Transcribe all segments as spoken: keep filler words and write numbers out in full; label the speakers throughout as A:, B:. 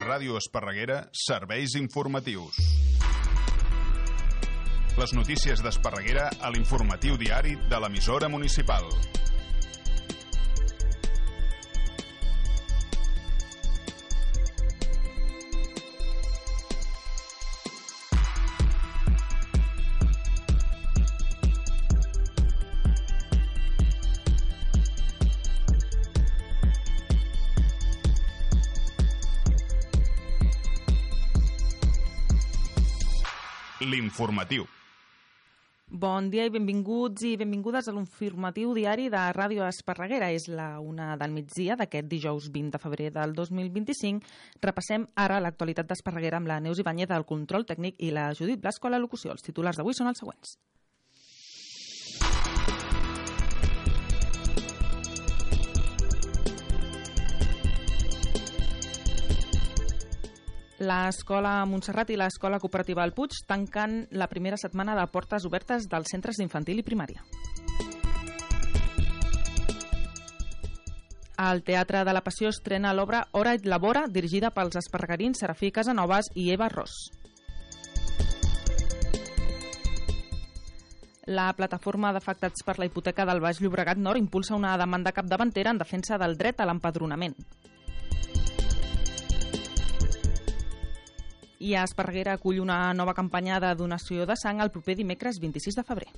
A: Ràdio Esparreguera, serveis informatius. Les notícies d'Esparreguera a l'informatiu diari de l'emissora municipal. L'informatiu.
B: Bon dia i benvinguts i benvingudes a l'informatiu diari de Ràdio Esparreguera. És la una del migdia d'aquest dijous vint de febrer del dos mil vint-i-cinc. Repassem ara l'actualitat d'Esparreguera amb la Neus Ibáñez del control tècnic i la Judit Blasco a la locució. Els titulars d'avui són els següents. L'escola Montserrat i l'escola cooperativa El Puig tanquen la primera setmana de portes obertes dels centres d'infantil i primària. El Teatre de la Passió estrena l'obra Hora et labora, dirigida pels esparregarins Serafí Casanovas i Eva Ros. La plataforma d'afectats per la hipoteca del Baix Llobregat Nord impulsa una demanda capdavantera en defensa del dret a l'empadronament. I a Esparreguera acull una nova campanya de donació de sang el proper dimecres vint-i-sis de febrer.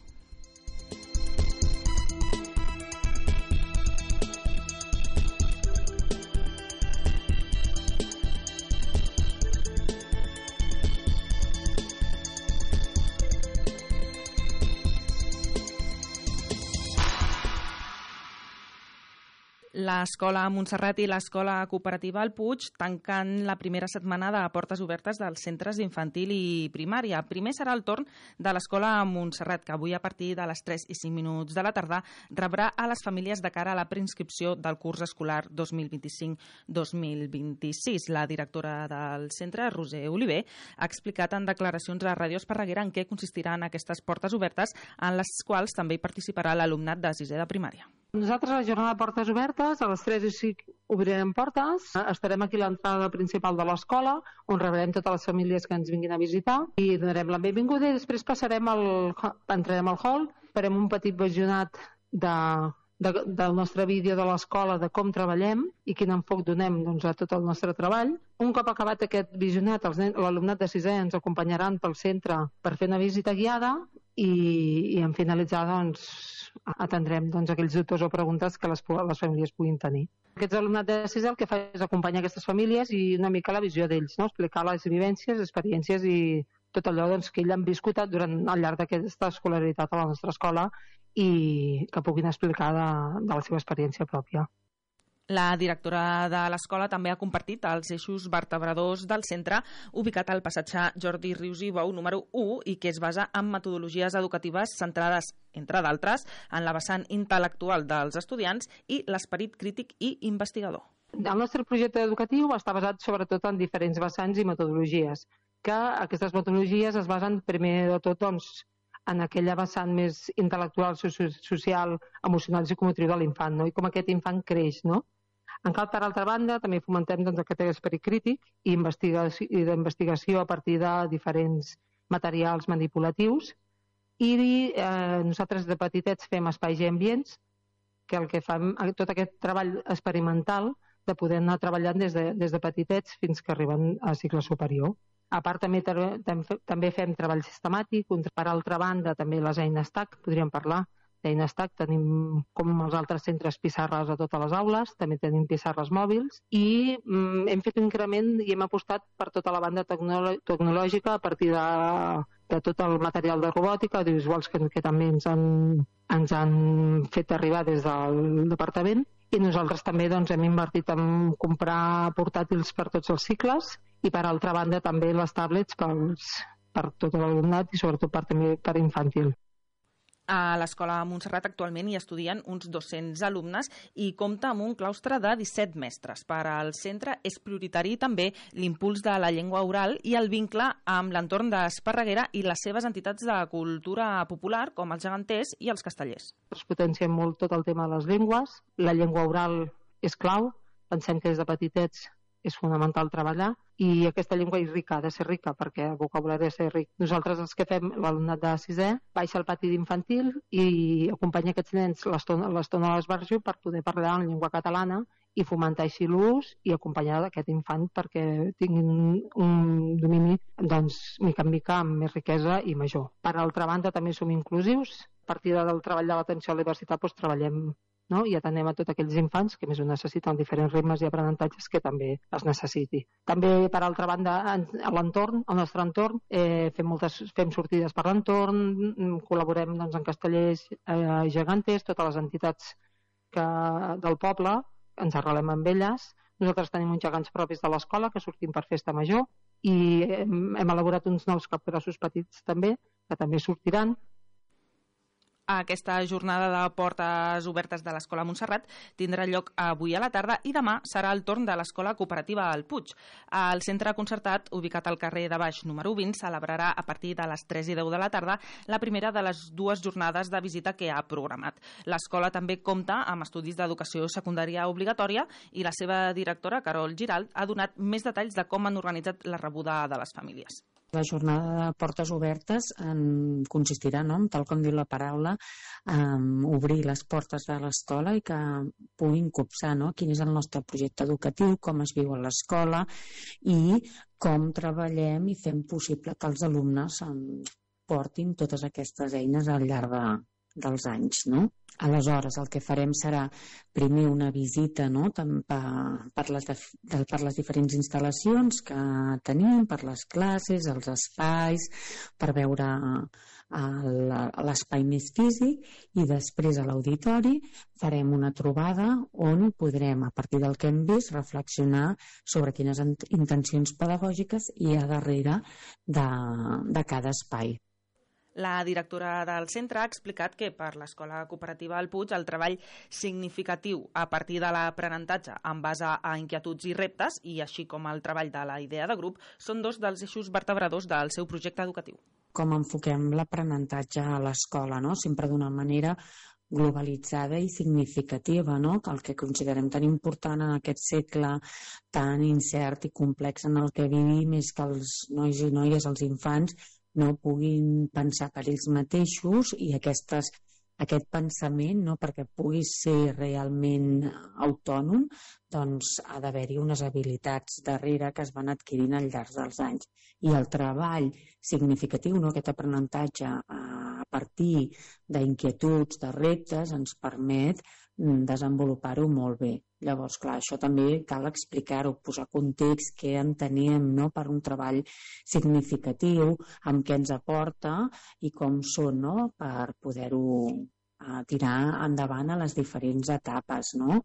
B: L'escola Montserrat i l'escola cooperativa El Puig tanquen la primera setmana de portes obertes dels centres d'infantil i primària. Primer serà el torn de l'escola Montserrat, que avui a partir de les tres i cinc minuts de la tarda rebrà a les famílies de cara a la preinscripció del curs escolar dos mil vint-i-cinc dos mil vint-i-sis. La directora del centre, Roser Oliver, ha explicat en declaracions a Ràdio Esparreguera en què consistiran aquestes portes obertes, en les quals també hi participarà l'alumnat de sisè de primària.
C: Nosaltres a la jornada de portes obertes, a les tres i cinc obrirem portes, estarem aquí a l'entrada principal de l'escola, on rebrem totes les famílies que ens vinguin a visitar i donarem la benvinguda i després passarem al, entrarem al hall, farem un petit visionat de, de, del nostre vídeo de l'escola, de com treballem i quin enfoc donem doncs, a tot el nostre treball. Un cop acabat aquest visionat, l'alumnat de sisè ens acompanyaran pel centre per fer una visita guiada i, i en finalitzar doncs, atendrem doncs, aquells dubtes o preguntes que les, les famílies puguin tenir. Aquest alumnat de sisè el que fa és acompanyar aquestes famílies i una mica la visió d'ells, no? Explicar les vivències, experiències i tot allò doncs, que ells han viscut durant al llarg d'aquesta escolaritat a la nostra escola i que puguin explicar de, de la seva experiència pròpia.
B: La directora de l'escola també ha compartit els eixos vertebradors del centre ubicat al passatge Jordi Rius i Bou número u i que es basa en metodologies educatives centrades, entre d'altres, en la vessant intel·lectual dels estudiants i l'esperit crític i investigador.
C: El nostre projecte educatiu està basat sobretot en diferents vessants i metodologies, que aquestes metodologies es basen primer de tot doncs, en aquella vessant més intel·lectual, social, emocional i psicomotriu de l'infant, no? I com aquest infant creix, no? En cal, per altra banda, també fomentem doncs, aquest esperit crític i d'investigació a partir de diferents materials manipulatius i eh, nosaltres de petitets fem espais i ambients que el que fem, tot aquest treball experimental de poder anar treballant des de, des de petitets fins que arriben a cicle superior. A part, també, també fem treball sistemàtic, per altra banda, també les eines T A C, podríem parlar d'eines T A C, tenim com els altres centres pissarres a totes les aules, també tenim pissarres mòbils i mm, hem fet un increment i hem apostat per tota la banda tecnolo- tecnològica a partir de, de tot el material de robòtica, audiovisuals que, que també ens han, ens han fet arribar des del departament i nosaltres també doncs, hem invertit en comprar portàtils per tots els cicles i per altra banda també les tablets pels, per tot l'alumnat i sobretot per, també per infantil.
B: A l'escola Montserrat actualment hi estudien uns dos-cents alumnes i compta amb un claustre de disset mestres. Per al centre és prioritari també l'impuls de la llengua oral i el vincle amb l'entorn d'Esparreguera i les seves entitats de cultura popular com els geganters i els castellers.
C: Es potenciem molt tot el tema de les llengües. La llengua oral és clau. Pensem que des de petitets és fonamental treballar, i aquesta llengua és rica, ha de ser rica, perquè el vocabulari ha de ser ric. Nosaltres els que fem, l'alumnat de sisè, baixa al pati d'infantil i acompanya aquests nens l'estona a l'esbarjo per poder parlar en llengua catalana i fomentar així l'ús i acompanyar d'aquest infant perquè tinguin un domini, doncs, mica en mica, amb més riquesa i major. Per altra banda, també som inclusius. A partir del treball de l'atenció a la diversitat doncs, treballem, no? I atenem a tots aquells infants que més ho necessiten, diferents ritmes i aprenentatges que també es necessiti. També, per altra banda, a l'entorn, al nostre entorn, eh, fem, moltes, fem sortides per l'entorn, col·laborem doncs, en castellers eh, gegantes, totes les entitats que, del poble, ens arrelem amb elles. Nosaltres tenim uns gegants propis de l'escola que sortim per festa major i hem, hem elaborat uns nous capgrossos petits també, que també sortiran.
B: Aquesta jornada de portes obertes de l'Escola Montserrat tindrà lloc avui a la tarda i demà serà el torn de l'Escola Cooperativa al Puig. El centre concertat, ubicat al carrer de Baix número vint, celebrarà a partir de les tres i deu de la tarda la primera de les dues jornades de visita que ha programat. L'escola també compta amb estudis d'educació secundària obligatòria i la seva directora, Carol Giralt, ha donat més detalls de com han organitzat la rebuda de les famílies.
D: La jornada de portes obertes en consistirà, no?, tal com diu la paraula, en obrir les portes de l'escola i que puguin copsar, no?, quin és el nostre projecte educatiu, com es viu a l'escola i com treballem i fem possible que els alumnes portin totes aquestes eines al llarg de, dels anys, no? Aleshores, el que farem serà primer una visita, no?, per, per, les, per les diferents instal·lacions que tenim, per les classes, els espais, per veure l'espai més físic, i després a l'auditori farem una trobada on podrem, a partir del que hem vist, reflexionar sobre quines intencions pedagògiques hi ha darrere de, de cada espai.
B: La directora del centre ha explicat que per l'Escola Cooperativa al Puig el treball significatiu a partir de l'aprenentatge en base a inquietuds i reptes, i així com el treball de la idea de grup, són dos dels eixos vertebradors del seu projecte educatiu.
D: Com enfoquem l'aprenentatge a l'escola, no?, sempre d'una manera globalitzada i significativa, no?, el que considerem tan important en aquest segle tan incert i complex en el que vivim és que els nois i noies, els infants, no puguin pensar per ells mateixos, i aquestes, aquest pensament, no, perquè pugui ser realment autònom, doncs ha d'haver-hi unes habilitats darrere que es van adquirint al llarg dels anys. I el treball significatiu, no, aquest aprenentatge a partir d'inquietuds, de reptes, ens permet desenvolupar-ho molt bé. Llavors, clar, això també cal explicar-ho, posar context, què entenem, no?, per un treball significatiu, amb què ens aporta i com són, no?, per poder-ho eh, tirar endavant a les diferents etapes, no?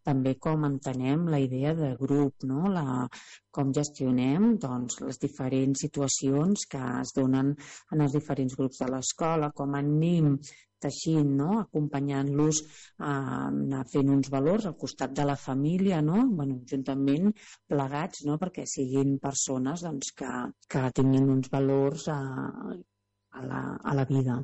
D: També com entenem la idea de grup, no?, la, com gestionem doncs, les diferents situacions que es donen en els diferents grups de l'escola, com anem teixint, no?, acompanyant-los a anar fent uns valors al costat de la família, no?, bueno, juntament plegats, no?, perquè siguin persones doncs, que, que tinguin uns valors a, a, la, a la vida.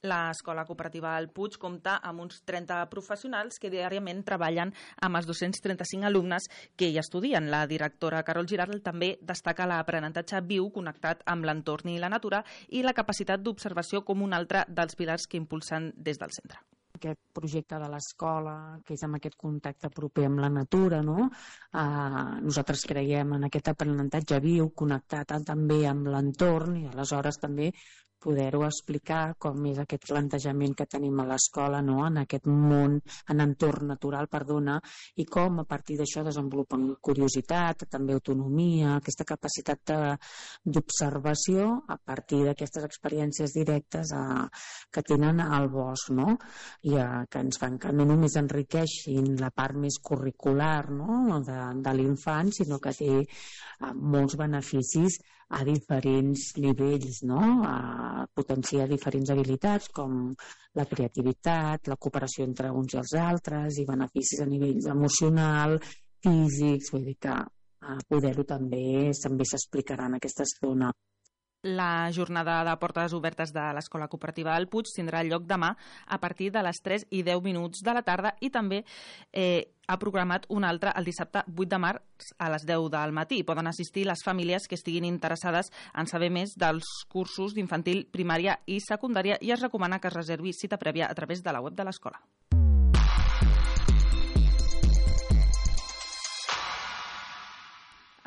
B: L'Escola Cooperativa al Puig compta amb uns trenta professionals que diàriament treballen amb els dos-cents trenta-cinc alumnes que hi estudien. La directora Carol Giralt també destaca l'aprenentatge viu connectat amb l'entorn i la natura i la capacitat d'observació com un altre dels pilars que impulsen des del centre.
D: Aquest projecte de l'escola, que és amb aquest contacte proper amb la natura, no? Eh, nosaltres creiem en aquest aprenentatge viu, connectat també amb l'entorn, i aleshores també poder-ho explicar com és aquest plantejament que tenim a l'escola, no?, en aquest món, en entorn natural, perdona, i com a partir d'això desenvolupen curiositat, també autonomia, aquesta capacitat d'observació a partir d'aquestes experiències directes a, que tenen al bosc, no?, i a, que ens fan que no només enriqueixin la part més curricular, no?, de, de l'infant, sinó que té a, molts beneficis a diferents nivells, no?, a potenciar diferents habilitats com la creativitat, la cooperació entre uns i els altres i beneficis a nivell emocional, físics, vull dir que a poder-ho també també s'explicarà en aquesta estona.
B: La jornada de portes obertes de l'Escola Cooperativa del Puig tindrà lloc demà a partir de les tres i deu minuts de la tarda i també eh, ha programat un altre el dissabte vuit de març a les deu del matí. Poden assistir les famílies que estiguin interessades en saber més dels cursos d'infantil, primària i secundària i es recomana que es reservi cita prèvia a través de la web de l'escola.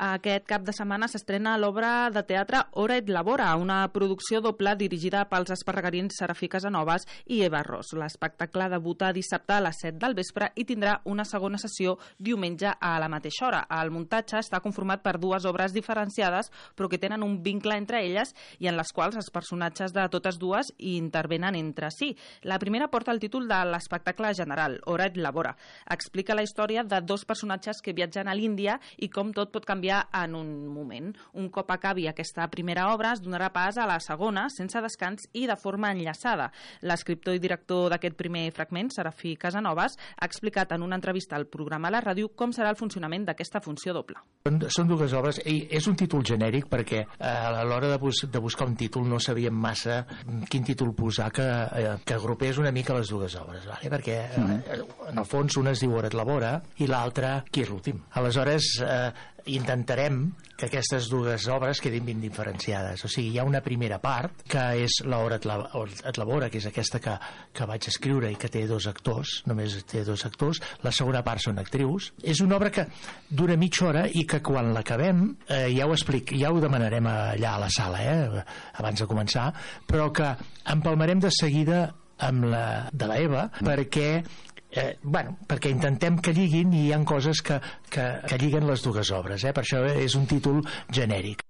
B: Aquest cap de setmana s'estrena l'obra de teatre Hora et Labora, una producció doble dirigida pels esparregarins Serafí Casanovas i Eva Ros. L'espectacle debuta dissabte a les set del vespre i tindrà una segona sessió diumenge a la mateixa hora. El muntatge està conformat per dues obres diferenciades però que tenen un vincle entre elles i en les quals els personatges de totes dues intervenen entre si. La primera porta el títol de l'espectacle general, Hora et Labora. Explica la història de dos personatges que viatgen a l'Índia i com tot pot canviar en un moment. Un cop acabi aquesta primera obra, es donarà pas a la segona, sense descans i de forma enllaçada. L'escriptor i director d'aquest primer fragment, Serafí Casanovas, ha explicat en una entrevista al programa a la ràdio com serà el funcionament d'aquesta funció doble.
E: Són dues obres, i és un títol genèric perquè eh, a l'hora de, bus de buscar un títol no sabíem massa quin títol posar que, eh, que agrupés una mica les dues obres, vale? Perquè eh, en el fons una es diu Hora et Labora i l'altra Qui és l'últim. Aleshores, eh, intentarem que aquestes dues obres quedin ben diferenciades. O sigui, hi ha una primera part que és l'Hora et Labora, que és aquesta que, que vaig escriure i que té dos actors, només té dos actors. La segona part són actrius. És una obra que dura mitja hora i que quan l'acabem, eh, ja ho explic, ja ho demanarem allà a la sala, eh, abans de començar, però que empalmarem de seguida amb la de la Eva, perquè Eh, bueno, perquè intentem que lliguin i hi ha coses que, que, que lliguen les dues obres, eh? Per això és un títol genèric.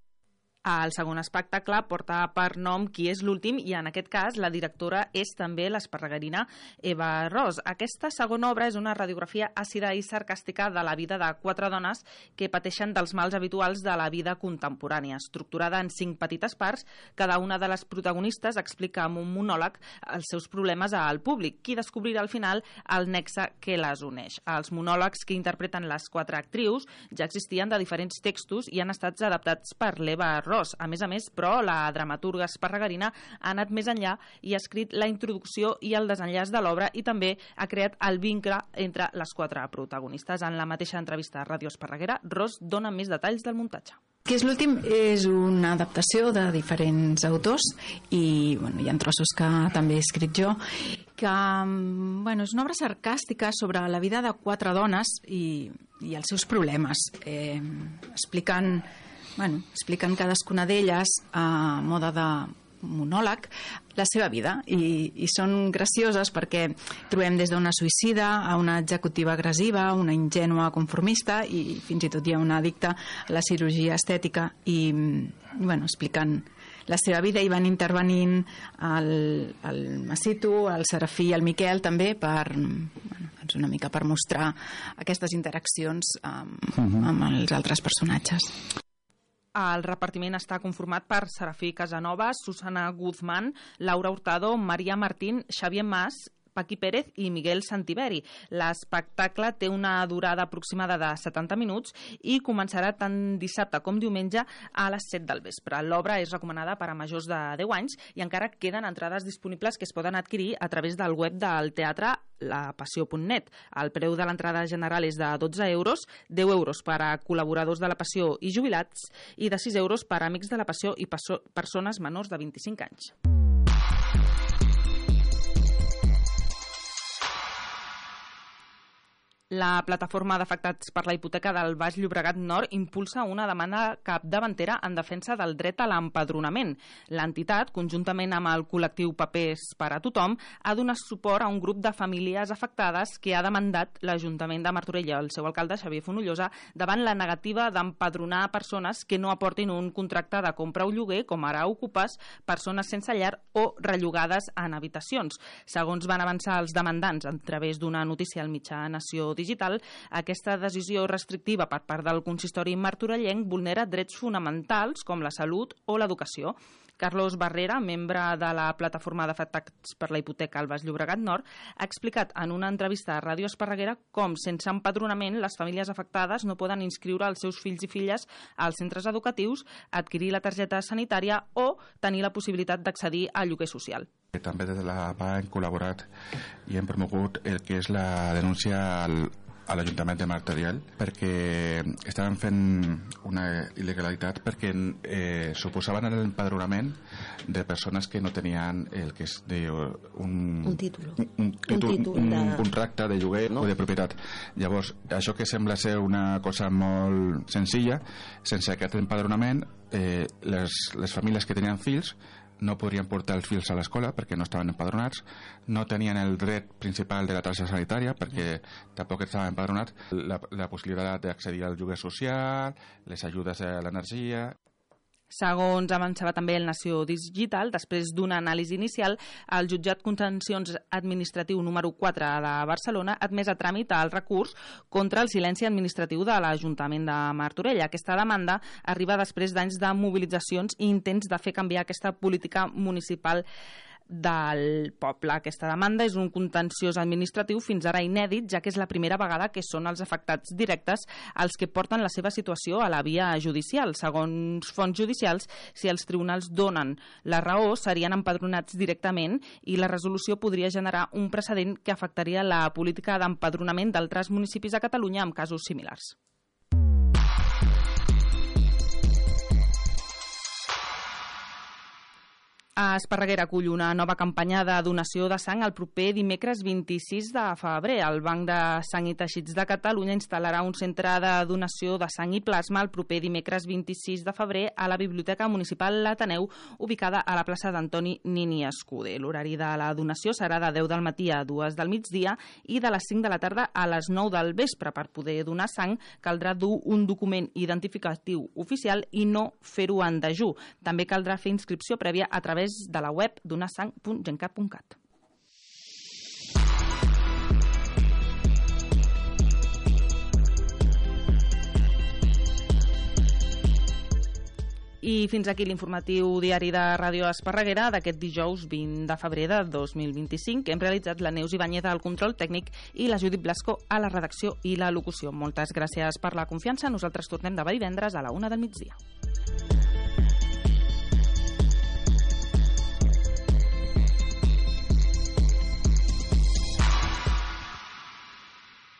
B: El segon espectacle porta per nom Qui és l'últim i en aquest cas la directora és també l'esparregarina Eva Ros. Aquesta segona obra és una radiografia àcida i sarcàstica de la vida de quatre dones que pateixen dels mals habituals de la vida contemporània. Estructurada en cinc petites parts, cada una de les protagonistes explica amb un monòleg els seus problemes al públic, qui descobrirà al final el nexe que les uneix. Els monòlegs que interpreten les quatre actrius ja existien de diferents textos i han estat adaptats per l'Eva Ros. A més a més, però, la dramaturga esparregarina ha anat més enllà i ha escrit la introducció i el desenllaç de l'obra i també ha creat el vincle entre les quatre protagonistes. En la mateixa entrevista a Ràdio Esparreguera, Ros dona més detalls del muntatge.
F: Qui és l'últim és una adaptació de diferents autors i bueno, hi ha trossos que també he escrit jo, que bueno, és una obra sarcàstica sobre la vida de quatre dones i, i els seus problemes. Eh, expliquen Bueno, expliquen cadascuna d'elles a moda de monòleg la seva vida i, i són gracioses perquè trobem des d'una suïcida a una executiva agressiva, una ingènua conformista i fins i tot hi ha una addicta a la cirurgia estètica i bueno, expliquen la seva vida i van intervenint el, el Massito, el Serafí i el Miquel també per, bueno, doncs una mica per mostrar aquestes interaccions amb, uh-huh. amb els altres personatges.
B: El repartiment està conformat per Serafí Casanovas, Susana Guzmán, Laura Hurtado, Maria Martín, Xavier Mas, Paqui Pérez i Miguel Santiberi. L'espectacle té una durada aproximada de setanta minuts i començarà tant dissabte com diumenge a les set del vespre. L'obra és recomanada per a majors de deu anys i encara queden entrades disponibles que es poden adquirir a través del web del teatre la passió punt net. El preu de l'entrada general és de dotze euros, deu euros per a col·laboradors de la Passió i jubilats i de sis euros per a amics de la Passió i persones menors de vint-i-cinc anys. La plataforma d'afectats per la hipoteca del Baix Llobregat Nord impulsa una demanda capdavantera en defensa del dret a l'empadronament. L'entitat, conjuntament amb el col·lectiu Papers per a Tothom, ha donat suport a un grup de famílies afectades que ha demandat l'Ajuntament de Martorell i el seu alcalde, Xavier Fonollosa, davant la negativa d'empadronar persones que no aportin un contracte de compra o lloguer, com ara ocupes, persones sense llar o rellogades en habitacions. Segons van avançar els demandants a través d'una notícia al mitjà Nació digital, aquesta decisió restrictiva per part del consistori martorellenc vulnera drets fonamentals com la salut o l'educació. Carlos Barrera, membre de la plataforma d'afectats per la hipoteca al Baix Llobregat Nord, ha explicat en una entrevista a Ràdio Esparreguera com, sense empadronament, les famílies afectades no poden inscriure els seus fills i filles als centres educatius, adquirir la targeta sanitària o tenir la possibilitat d'accedir al lloguer social.
G: També des de la A P A hem col·laborat i hem promogut el que és la denúncia al a l'Ajuntament de Martorell perquè estaven fent una il·legalitat perquè eh, suposaven l'empadronament de persones que no tenien el que és de un,
H: un títol,
G: un, un, títol,
H: un, títol
G: un,
H: de...
G: un contracte de lloguer, no? O de propietat. Llavors, això que sembla ser una cosa molt senzilla, sense aquest empadronament, eh, les, les famílies que tenien fills no podrien portar els fills a l'escola perquè no estaven empadronats, no tenien el dret principal de la targeta sanitària perquè tampoc estaven empadronats, la, la possibilitat d'accedir al lloguer social, les ajudes a l'energia.
B: Segons avançava també el Nació Digital, després d'una anàlisi inicial, el jutjat contenciós administratiu número quatre de Barcelona ha admès a tràmit el recurs contra el silenci administratiu de l'Ajuntament de Martorell. Aquesta demanda arriba després d'anys de mobilitzacions i intents de fer canviar aquesta política municipal del poble. Aquesta demanda és un contenciós administratiu fins ara inèdit, ja que és la primera vegada que són els afectats directes els que porten la seva situació a la via judicial. Segons fonts judicials, si els tribunals donen la raó, serien empadronats directament i la resolució podria generar un precedent que afectaria la política d'empadronament d'altres municipis a Catalunya amb casos similars. A Esparreguera acull una nova campanya de donació de sang el proper dimecres vint-i-sis de febrer. El Banc de Sang i Teixits de Catalunya instal·larà un centre de donació de sang i plasma el proper dimecres vint-i-sis de febrer a la Biblioteca Municipal L'Ateneu, ubicada a la plaça d'Antoni Nini Escuder. L'horari de la donació serà de deu del matí a dues del migdia i de les cinc de la tarda a les nou del vespre. Per poder donar sang caldrà dur un document identificatiu oficial i no fer-ho en dejú. També caldrà fer inscripció prèvia a través de la web donasang punt gencat punt cat. I fins aquí l'informatiu diari de Ràdio Esparreguera d'aquest dijous vint de febrer de dos mil vint-i-cinc. Hem realitzat la Neus Ibáñez al control tècnic i la Judit Blasco a la redacció i la locució. Moltes gràcies per la confiança. Nosaltres tornem demà divendres a la una del migdia.